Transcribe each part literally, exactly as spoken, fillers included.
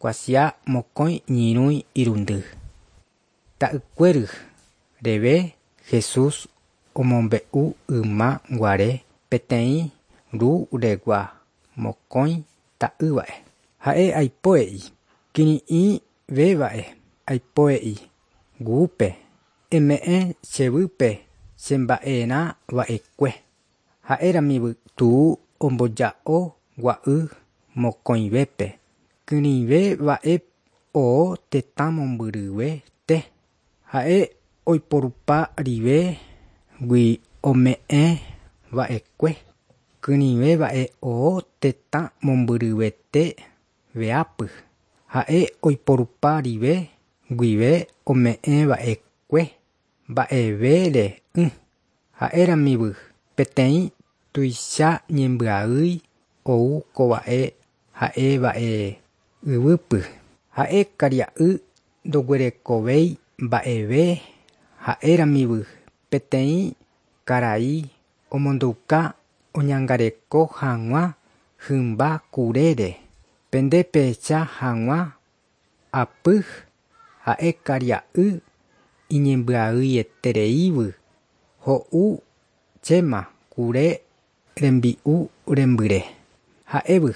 Kuatia mokõi ñyrõi irundy. Ta'ykuéry reve Jesús omombe'u ymaguare peteĩ ru regua mokõi ta'ýva'e. Ha'e aipo he'i kirirĩvéva'e aipo he'i guýpe eme'ẽ chéve chemba'erãva'ekue. Ha'éramive tu omboja'o gua'u mokõivépe kyrỹivéva'e oo tetã mombyryvete. Ha'e oiporupa rive gui ome'ẽva'ekue kyrỹivéva'e oo tetã mombyryvete veápy. Ha'e oiporupa rive guive ome'ẽva'ekue mba'evere'ỹ. Ha'éramive peteĩ tuicha ñembyahýi ou kova'e ha'eva'e yvýpy. Ha'e karia'y ndoguerekovéi mba'eve ha'éramive peteĩ karai omondouka oñangareko hag̃ua hymba kurére. Pende pehecha hag̃ua ápy ha'e karia'y iñembyahýietereívy ho'u chéma kure rembi'u rembyre. Ha'évy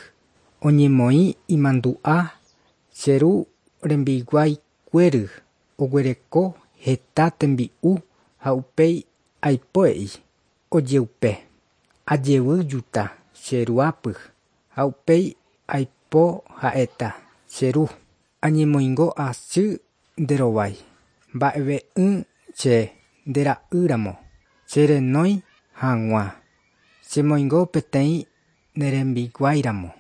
oñemoĩ imandu'a che ru rembiguaikuéry oguereko heta tembi'u ha upéi aipo he'i ojeupe ajevýjuta che ruápy ha upéi aipo ha'éta che ru añemoingo asy nde rovái mba'eve'ỹ che ndera'ýramo cherenói hag̃ua chemoingo peteĩ ne rembiguáiramo.